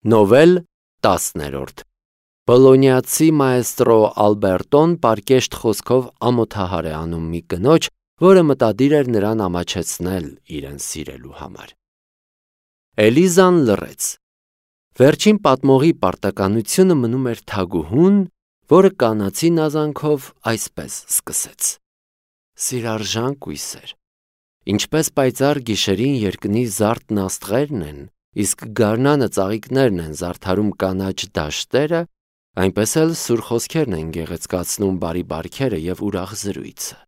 Նովել 10-րդ Բոլոնիացի մայստրո Ալբերտոն պարկեշտ խոսքով ամոթահար է անում մի կնոջ, որը մտադիր էր նրան ամաչեցնել իրեն սիրելու համար։ Էլիզան լռեց։ Վերջին պատմողի պարտականությունը մնում էր թագուհուն, որը կանացի նազանքով այսպես սկսեց. Սիրարժան կույսեր, ինչպես պայծառ գիշերին երկնի զարդն աստղերն են, իսկ գարնանը ծաղիկներն են զարդարում կանաչ դաշտերը, այնպես էլ սուր խոսքերն են գեղեցկացնում բարի բարքերը և ուրախ զրույցը։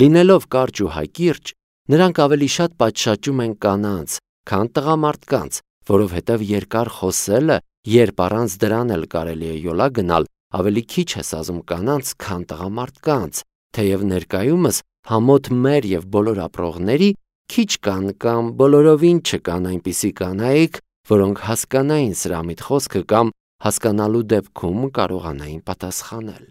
Լինելով կարճ ու հակիրճ, նրանք ավելի շատ պատշաճում են կանանց, քան տղամարդկանց, որովհետև երկար խոսելը, երբ առանց դրան էլ կարելի է յոլա գնալ, ավելի քիչ է սազում կանանց, քան տղամարդկանց, թեև ներկայումս համոտ մեր և բոլոր ապրողների քիչ կան կամ բոլորովին չկան այնպիսի կանայք, որոնք հասկանային սրամիտ խոսքը կամ հասկանալու դեպքում կարողանային պատասխանել։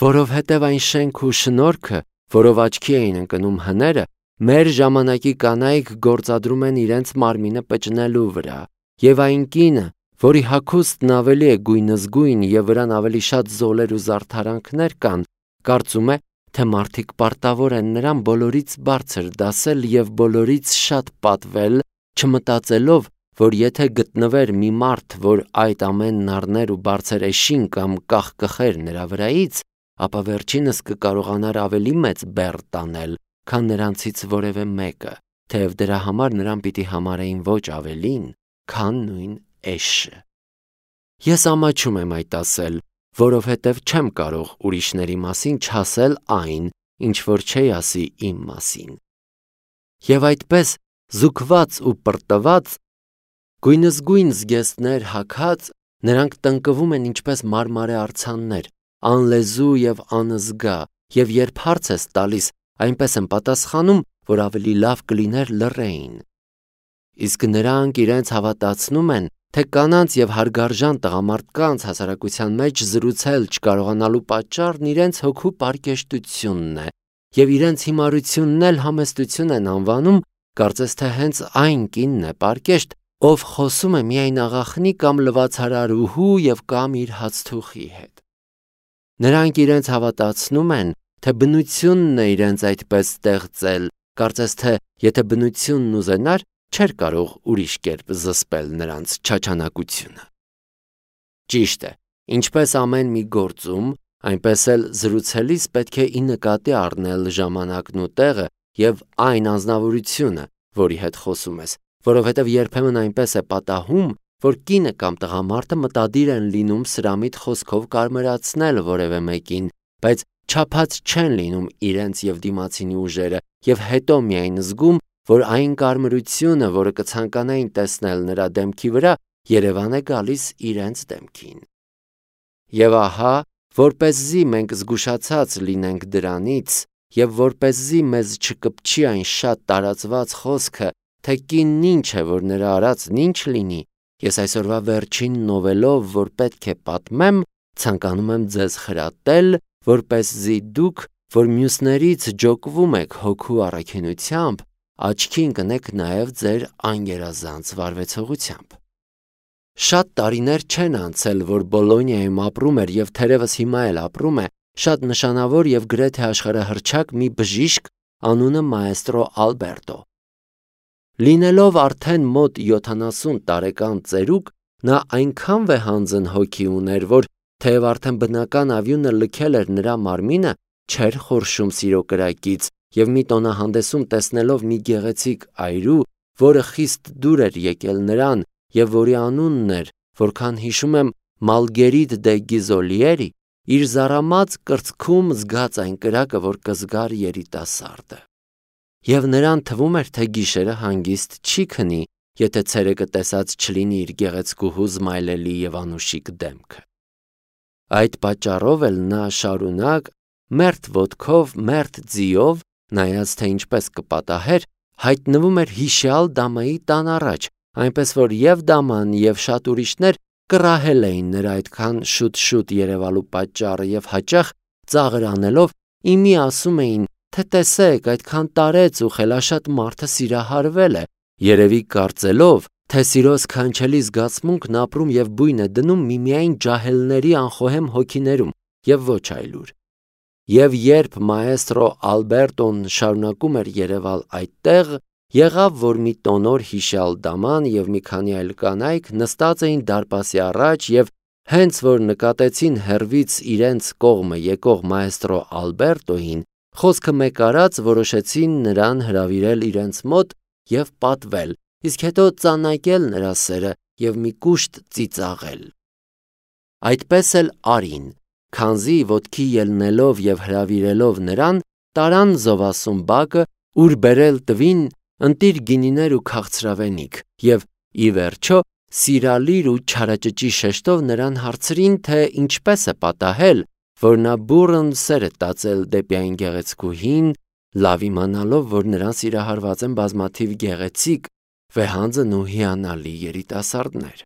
Որովհետև այն շենք ու շնորհքը, որով աչքի էին ընկնում հները, մեր ժամանակի կանայք գործադրում են իրենց մարմինը պճնելու վրա, և այն կինը, որի հագուստն ավելի է գույնզգույն և վրան ավելի շատ զոլեր ու զարդարանքներ կան, կարծում է, թե մարդիկ պարտավոր են նրան բոլորից բարձր դասել և բոլորից շատ պատվել, չմտածելով, որ եթե գտնվեր մի մարդ, որ այդ ամենն առներ ու բարձր էշին կամ կախկխեր նրա վրայից, ապա վերջինս կկարողանար ավելի մեծ բեռ տանել, քան նրանցից որևէ մեկը, թեև դրա համար նրան պիտի համարեին ոչ ավելին, քան նույն էշը։ Ես ամաչում եմ այդ ասել, որովհետև չեմ կարող ուրիշների մասին չասել այն, ինչ որ չի ասի իմ մասին։ Եվ այդպես, զուգված ու պրտված, գույնզգույն զգեստներ հագած, նրանք տնկվում են ինչպես մարմարե արձաններ, անլեզու և անզգա, և երբ հարց ես տալիս, այնպես են պատասխանում, որ ավելի լավ կլիներ լռեին։ Իսկ նրանք իրենց հավատացնում են, թե կանանց և հարգարժան տղամարդկանց հասարակության մեջ զրուցել չկարողանալու պատճառն իրենց հոգու պարկեշտությունն է, և իրենց հիմարությունն էլ համեստություն են անվանում, կարծես թե հենց այն կինն է պարկեշտ, ով խոսում է միայն աղախնի կամ լվացարարուհու և կամ իր հացթուխի հետ։ Նրանք իրենց հավատացնում են, թե բնությունն է իրենց այդպես ստեղծել, կարծես թե եթե բնությունն ուզենար, չէր կարող ուրիշ կերպ զսպել նրանց չաչանակությունը։ Ճիշտ է, ինչպես ամեն մի գործում, այնպես էլ զրուցելիս պետք է ի նկատի առնել ժամանակն ու տեղը և այն անձնավորությունը, որի հետ խոսում ես, որովհետև երբեմն այնպես է պատահում, որ կինը կամ տղամարդը մտադիր են լինում սրամիտ խոսքով կարմրացնել որևէ մեկին, բայց չափած չեն լինում իրենց և դիմացինի ուժերը և հետո միայն զգում, որ այն կարմրությունը, որը կցանկանային տեսնել նրա դեմքի վրա, երևան է գալիս իրենց դեմքին։ Եվ ահա, որպեսզի մենք զգուշացած լինենք դրանից և որպեսզի մեզ չկպչի այն շատ տարածված խոսքը, թե կինն ինչ է, որ նրա արածն ինչ լինի, ես այսօրվա վերջին նովելով, որ պետք է պատմեմ, ցանկանում եմ ձեզ խրատել, որպեսզի դուք, որ մյուսներից ջոկվում եք հոգու առաքինությամբ, աչքի ընկնեք նաև ձեր անգերազանց վարվեցողությամբ։ Շատ տարիներ չեն անցել, որ Բոլոնիայում ապրում էր և թերևս հիմա էլ ապրում է շատ նշանավոր և գրեթե աշխարհահռչակ մի բժիշկ անունը մայստրո Ալբերտո։ Լինելով արդեն մոտ 70 տարեկան ծերուկ, նա այնքան վեհանձն հոգի ուներ, որ թեև արդեն բնական ավյունը լքել էր նրա մարմինը, չէր խորշում սիրո կրակից և մի տոնահանդեսում տեսնելով մի գեղեցիկ այրու, որը խիստ դուր էր եկել նրան և որի անունն էր, որքան հիշում եմ, Մալգերիտ դե Գիզոլիերի, իր զառամած կրծքում զգաց այն կրակը, որ կզգար երիտասարդը։ Եվ նրան թվում էր, թե գիշերը հանգիստ չի քնի, եթե ցերեկը տեսած չլինի իր գեղեցկուհու զմայլելի և անուշիկ դեմքը։ Այդ պատճառով էլ նա շարունակ, մերթ ոտքով, մերթ ձիով, նայած թե ինչպես կպատահեր, հայտնվում էր հիշյալ դամայի տան առաջ, այնպես որ և դաման և շատ ուրիշներ կռահել էին նրա այդքան շուտ երևալու պատճառը և հաճախ ծաղր անելով իմի ասում էին, թե տեսեք, այդքան տարեց ու խելաշատ մարդը սիրահարվել է, երևի կարծելով, թե սիրո սքանչելի զգացմունքն ապրում և բույն է դնում միմիայն ջահելների անխոհեմ հոգիներում և ոչ այլուր։ Եվ երբ մաեստրո Ալբերտոն շարունակում էր երևալ այդտեղ, եղավ, որ մի տոնոր հիշյալ դաման և մի քանի այլ կանայք նստած էին դարպասի առաջ և հենց որ նկատեցին հեռվից իրենց կողմը եկող մաեստրո Ալբերտոին, խոսքը մեկ արած որոշեցին նրան հրավիրել իրենց մոտ և պատվել, իսկ հետո ծանակել նրա սերը և մի կուշտ ծիծաղել։ Այդպես էլ արին, քանզի ոտքի ելնելով և հրավիրելով նրան, տարան զովասուն բակը, ուր բերել տվին ընտիր գինիներ ու քաղցրավենիք, և ի վերջո սիրալիր ու չարաճճի շեշտով նրան հարցրին, թե ինչպես է պատահել, որ նա բուռն սեր է տածել դեպի այն գեղեցկուհին, լավ իմանալով, որ նրան սիրահարված են բազմաթիվ գեղեցիկ, վեհանձն ու հիանալի երիտասարդներ։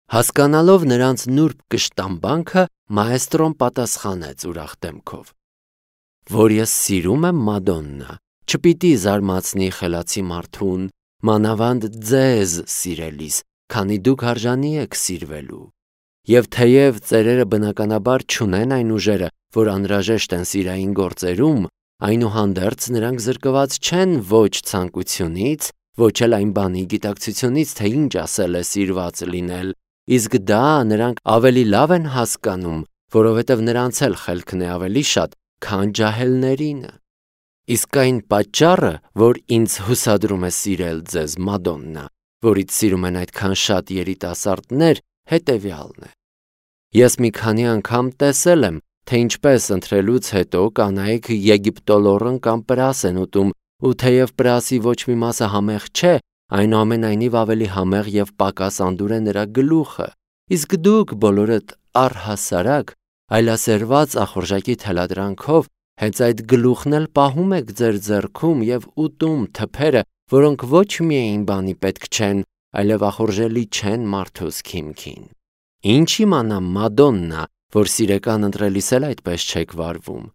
Հասկանալով նրանց նուրբ կշտամբանքը, մաեստրոն պատասխանեց ուրախ դեմքով. որ ես սիրում եմ Մադոննա, չպիտի զարմացնի խելացի մարդուն, մանավանդ ձեզ սիրելիս, քանի դուք արժանի եք սիրվելու։ Եվ թեև ծերերը բնականաբար չունեն այն ուժերը, որ անհրաժեշտ են սիրային գործերում, այնուհանդերձ նրանք զրկված չեն ոչ ցանկությունից, ոչ էլ այն բանի գիտակցությունից, թե ինչ ասել է սիրված լինել, իսկ դա նրանք ավելի լավ են հասկանում, որովհետև նրանց էլ խելքն է ավելի շատ, քան ջահելներինը։ Իսկ այն պատճառը, որ ինձ հուսադրում է սիրել ձեզ Մադոննա, որից սիրում են այդքան շատ երիտասարդներ, հետևյալն է. Ես մի քանի անգամ տեսել եմ, թե ինչպես ընթրելուց հետո կանայք եգիպտոլորն կամ պրաս են ուտում, ու թեև պրասի ոչ մի մասը համեղ չէ, այնուամենայնիվ ավելի համեղ և պակաս անդուր է նրա գլուխը, իսկ դուք բոլորդ առհասարակ այլասերված ախորժակի թելադրանքով հենց այդ գլուխն էլ պահում եք ձեր ձեռքում և ուտում թփերը, որոնք ոչ միայն բանի պետք չեն, այլև ախորժելի չեն մարդուս քիմքին։ Ինչ իմանամ Մադոննա, որ սիրեկան ընտրելիս էլ այդպես չեք վարվում,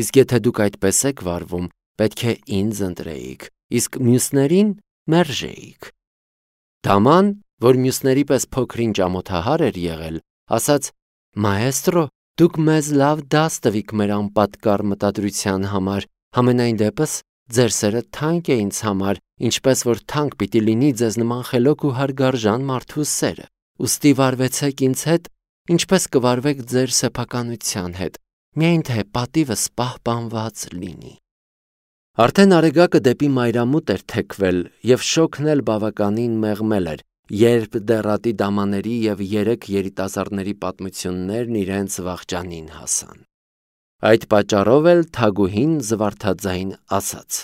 իսկ եթե դուք այդպես եք վարվում, պետք է ինձ ընտրեիք, իսկ մյուսներին մերժեիք։ Դաման, որ մյուսների պես փոքր-ինչ ամոթահար էր եղել, ասաց. «Մաեստրո, դուք մեզ լավ դաս տվիք մեր անպատկառ մտադրության համար, համենայն դեպս ձեր սերը թանկ է ինձ համար, ինչպես որ թանկ պիտի լինի ձեզ նման խելոք ու հարգարժան մարդու սերը, ուստի վարվեցեք ինձ հետ, ինչպես կվարվեք ձեր սեփականության հետ, միայն թե պատիվս պահպանված լինի»։ Արդեն Արեգակը դեպի մայրամուտ էր թեքվել և շոգն էլ բավականին մեղմել էր, երբ դեռատի դամաների և 3 երիտասարդների պատմություններն իրենց վախճանին հասան։ Այդ պատճառով էլ Թագուհին զվարթաձայն ասաց.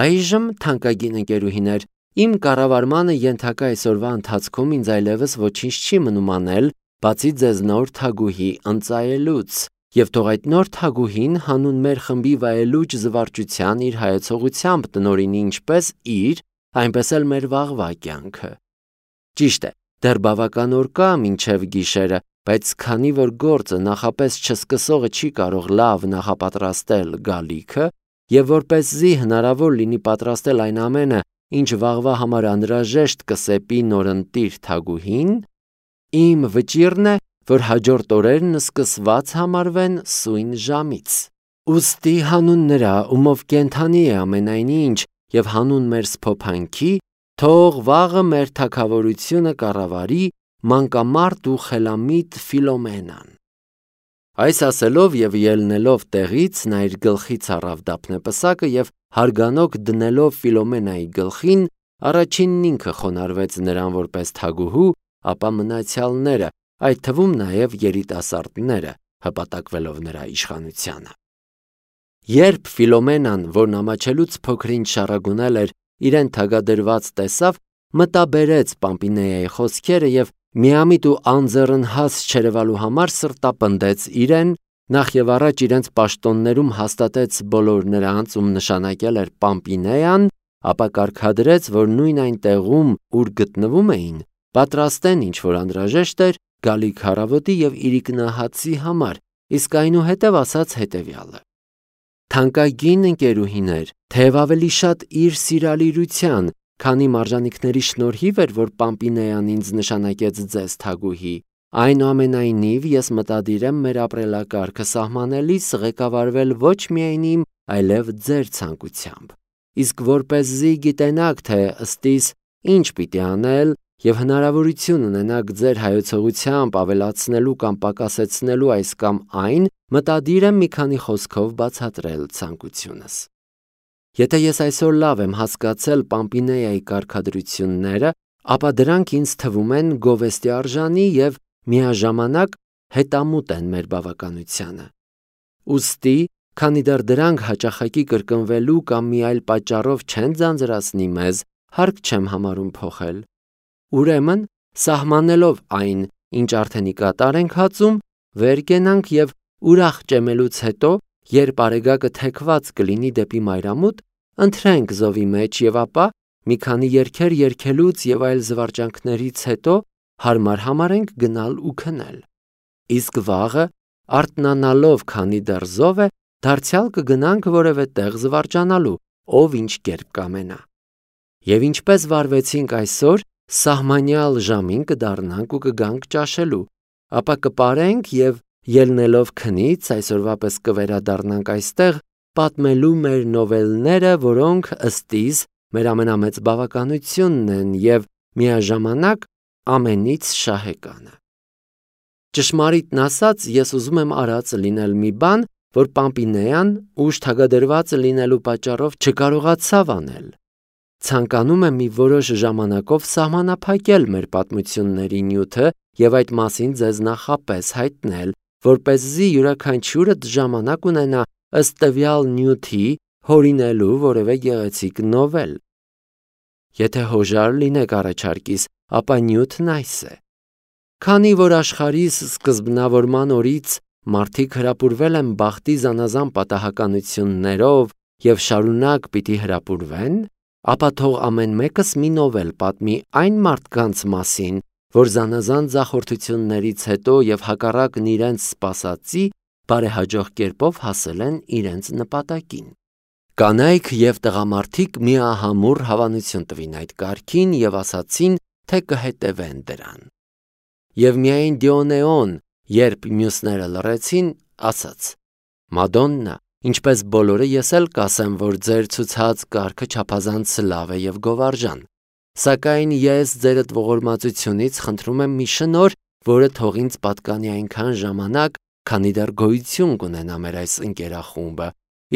«Այժմ, թանկագին ընկերուհիներ, իմ կառավարմանը ենթակա այսօրվա ընթացքում ինձ այլևս ոչինչ չի մնում անել, բացի ձեզ նոր թագուհի ընծայելուց, և թող այդ նոր թագուհին հանուն մեր խմբի վայելուչ զվարճության իր հայեցողությամբ տնօրինի ինչպես իր, այնպես էլ մեր վաղվա կյանքը։ Ճիշտ է, դեռ բավական օր կա մինչև գիշերը, բայց քանի որ գործը նախապես չսկսողը չի կարող լավ նախապատրաստել գալիքը, և որպեսզի հնարավոր լինի պատրաստել այն ամենը, ինչ վաղվա համար անհրաժեշտ կսեպի նորընտիր թագուհին, իմ վճիռն է, որ հաջորդ օրերն սկսված համարվեն սույն ժամից։ Ուստի հանուն նրա, ումով կենդանի է ամենայն ինչ, և հանուն մեր սփոփանքի, թող վաղը մեր թագավորությունը կառավարի մանկամարտ ու խելամիտ Ֆիլոմենան»։ Այս ասելով և ելնելով տեղից, նա իր գլխից առավ դափնեպսակը և հարգանոք դնելով Ֆիլոմենայի գլխին, առաջինն ինքը խոնարհվեց նրան որպես թագուհու, ապա մնացյալները, այդ թվում նաև երիտասարդները, հպատակվելով նրա իշխանությանը։ Երբ Ֆիլոմենան, որն ամաչելուց փոքր-ինչ շառագունել էր, իրեն թագադրված տեսավ, մտաբերեց Պամպինեայի խոսքերը և միամիտ ու անձեռնհաս չերևալու համար սրտապնդեց իրեն, նախ և առաջ իրենց պաշտոններում հաստատեց բոլոր նրանց, ում նշանակել էր Պամպինեան, ապա կարգադրեց, որ նույն այն տեղում, ուր գտնվում էին, պատրաստեն ինչ որ անհրաժեշտ էր գալիք առավոտի և իրիկնահացի համար, իսկ այնուհետև ասաց հետևյալը. «Թանկագին ընկերուհիներ, թեև ավելի շատ իր սիրալիրության քանի մարժանիքների շնորհիվ էր, որ Պամպինեան ինձ նշանակեց ձեզ թագուհի, այնուամենայնիվ ես մտադիր եմ մեր ապրելակարգը սահմանելիս ղեկավարվել ոչ միայն իմ, այլև ձեր ցանկությամբ։ Իսկ որպեսզի գիտենաք, թե ըստիս ինչ պիտի անել եւ հնարավորություն ունենաք ձեր հայոցողությամբ ավելացնելու կամ պակասեցնելու այս կամ այն, մտադիր եմ մի քանի խոսքով բացատրել ցանկությունս։ Եթե ես այսօր լավ եմ հասկացել Պամպինեայի կարգադրությունները, ապա դրանք ինձ թվում են գովեստի արժանի եւ միաժամանակ հետամուտ են մեր բավականությանը։ Ուստի, քանի դեռ դրանք հաճախակի կրկնվելու կամ մի այլ պատճառով չեն ձանձրացնի մեզ, հարկ չեմ համարում փոխել։ Ուրեմն, սահմանելով այն, ինչ արդեն ի կատար ենք հածում, վեր կենանք եւ ուրախ ճեմելուց հետո, երբ արեգակը թեքված կլինի դեպի մայրամուտ, ընթրենք զովի մեջ եւ ապա մի քանի երգեր երգելուց եւ այլ զվարճանքներից հետո հարմար համարենք գնալ ու քնել։ Իսկ վաղը, արթնանալով, քանի դեռ զով է, դարձյալ կգնանք որևէ տեղ զվարճանալու, ով ինչ կերպ կամենա։ Եվ ինչպես վարվեցինք այսօր, սահմանյալ ժամին կդառնանք ու կգանք ճաշելու, ապա կպարենք եւ ելնելով քնից այսօրվա պես կվերադառնանք այստեղ պատմելու մեր նովելները, որոնք ըստիս մեր ամենամեծ բավականությունն են եւ միաժամանակ ամենից շահեկանը։ Ճշմարիտն ասած, ես ուզում եմ արած լինել մի բան, որ Պամպինեան ուշ թագադրված լինելու պատճառով չկարողացավ անել։ Ցանկանում եմ մի որոշ ժամանակով սահմանափակել մեր պատմությունների նյութը եւ այդ մասին ձեզ նախապես հայտնել, որպեսզի յուրաքանչյուրդ ժամանակ ունենա ըստ տվյալ նյութի հորինելու որևէ գեղեցիկ նովել։ Եթե հոժար լինեք առաջարկիս, ապա նյութն այս է։ Քանի որ աշխարհիս սկզբնավորման օրից մարդիկ հրապուրվել են բախտի զանազան պատահականություններով եւ շարունակ պիտի հրապուրվեն, ապա թող ամեն մեկս մի նովել պատմի այն մարդկանց մասին, որ զանազան ձախորդություններից հետո եւ հակառակն իրենց սպասածի բարեհաջող կերպով հասել են իրենց նպատակին։ Կանայք եւ տղամարդիկ միահամուռ հավանություն տվին այդ կարգին եւ ասացին, թե կհետևեն դրան։ Եվ միայն Դիոնեոն, երբ մյուսները լռեցին, ասաց. Մադոննա, ինչպես բոլորը ես էլ կասեմ, որ ձեր ցուցած կարգը չափազանց լավ է եւ գովարժան։ Սակայն ես ձերդ ողորմածությունից խնդրում եմ մի շնորհ, որը թող ինձ պատկանի այնքան ժամանակ, քանի դեռ գոյություն կունենա մեր այս ընկերախումբը։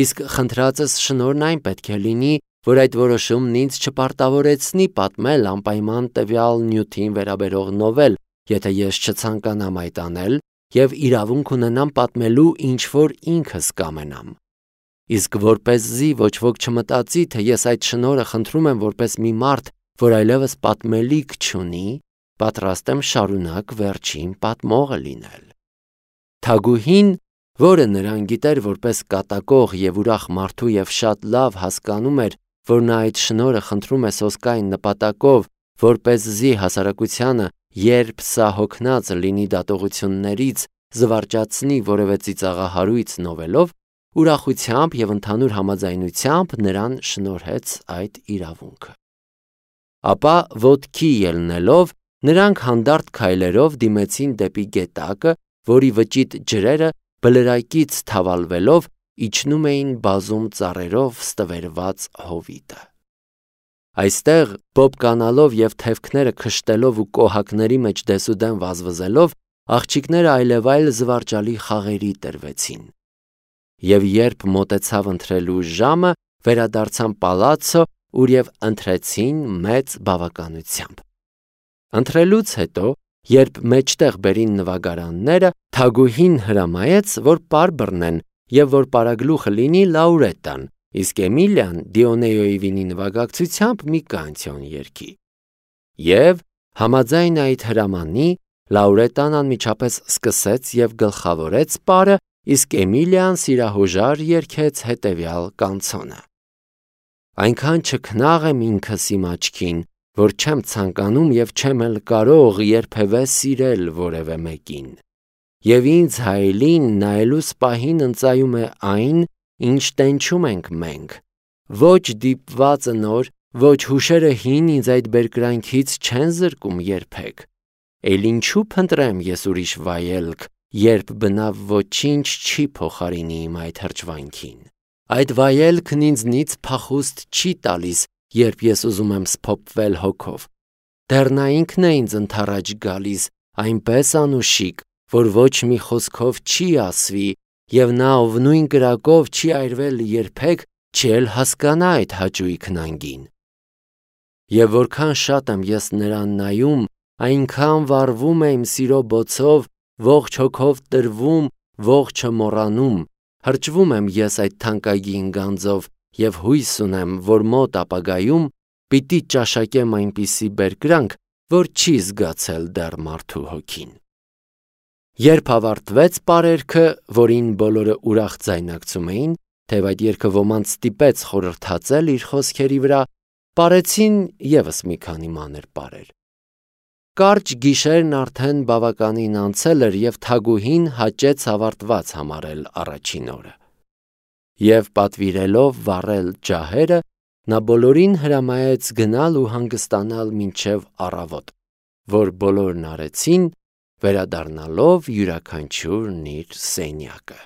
Իսկ խնդրածս շնորհն այն պետք է լինի, որ այդ որոշումն ինձ չպարտավորեցնի պատմել անպայման տվյալ նյութին վերաբերող նովել, եթե ես չցանկանամ այդ անել եւ իրավունք ունենամ պատմելու ինչ որ ինքս կամենամ։ Իսկ որպեսզի ոչ ոք չմտածի, թե ես այդ շնորհը խնդրում եմ որպես մի մարդ, որ այլևս պատմելիք չունի, պատրաստ եմ շարունակ վերջին պատմողը լինել։ Թագուհին, որը նրան գիտեր որպես կատակող եւ ուրախ մարդու եւ շատ լավ հասկանում էր, որ նա այդ շնորհը խնդրում է սոսկային նպատակով, որպեսզի հասարակությանը, երբ սա հոգնած լինի դատողություններից, զվարճացնի որևէ ծիծաղահարույց նովելով, ուրախությամբ եւ ընդհանուր համաձայնությամբ նրան շնորհեց այդ իրավունքը։ Ապա ոտքի ելնելով, նրանք հանդարտ քայլերով դիմեցին դեպի գետակը, որի վճիտ ջրերը բլրակից թավալվելով իջնում էին բազում ծառերով ստվերված հովիտը։ Այստեղ, բոբ կանալով եւ թևքները քշտելով ու կոհակների մեջ դեսուդեն վազվզելով, աղջիկները այլևայլ զվարճալի խաղերի տրվեցին։ Եվ երբ մոտեցավ ընթրելու ժամը, վերադարձան պալացո, ուր եւ ընթրեցին մեծ բավականությամբ։ Ընթրելուց հետո, երբ մեջտեղ բերին նվագարանները, թագուհին հրամայեց, որ պար բռնեն եւ որ պարագլուխը լինի Լաուրետան, իսկ Էմիլիան Դիոնեոյի վինի նվագակցությամբ մի կանցիոն երգի։ Եվ համաձայն այդ հրամանի, Լաուրետան անմիջապես սկսեց եւ գլխավորեց պարը, իսկ Էմիլիան սիրահոժար երգեց հետեւյալ կանցոնը. Այնքան չքնաղ եմ ինքս իմ աչքին, որ չեմ ցանկանում եւ չեմ էլ կարող երբևէ սիրել որևէ մեկին։ Եվ ինձ հայելին նայելուս պահին ընծայում է այն, ինչ տենչում ենք մենք, ոչ դիպվածը նոր, ոչ հուշերը հին ինձ այդ բերկրանքից չեն զրկում երբեք։ Էլ ինչու փնտրեմ ես ուրիշ վայելք, երբ բնավ ոչինչ չի փոխարինի իմ այդ հրճվանքին։ Այդ վայելքն ինձնից փախուստ չի տալիս, երբ ես ուզում եմ սփոփվել հոգով։ Դեռ նա ինքն է ինձ ընդառաջ գալիս, այնպես անուշիկ, որ ոչ մի խոսքով չի ասվի, եւ նա, ով նույն կրակով չի այրվել երբեք, չի էլ հասկանա այդ հաճույքն անգին։ Եվ որքան շատ եմ ես նրան նայում, այնքան վառվում է իմ սիրո բոցով, ողջ հոգով տրվում, ողջը մոռանում, հրճվում եմ ես այդ թանկագին գանձով եւ հույս ունեմ, որ մոտ ապագայում պիտի ճաշակեմ այնպիսի բերկրանք, որ չի զգացել դեռ մարդու հոգին։ Երբ ավարտվեց պարերքը, որին բոլորը ուրախ ձայնակցում էին, թեև այդ երգը ոմանց ստիպեց խորհրդածել իր խոսքերի վրա, պարեցին եւս մի քանի մանր պարեր։ Կարճ գիշերն արդեն բավականին անցել էր եւ թագուհին հաճեց ավարտված համարել առաջին օրը։ Եվ պատվիրելով վառել ջահերը, նա բոլորին հրամայեց գնալ ու հանգստանալ մինչև առավոտ, որ բոլորն արեցին, վերադառնալով յուրաքանչյուրն իր սենյակը։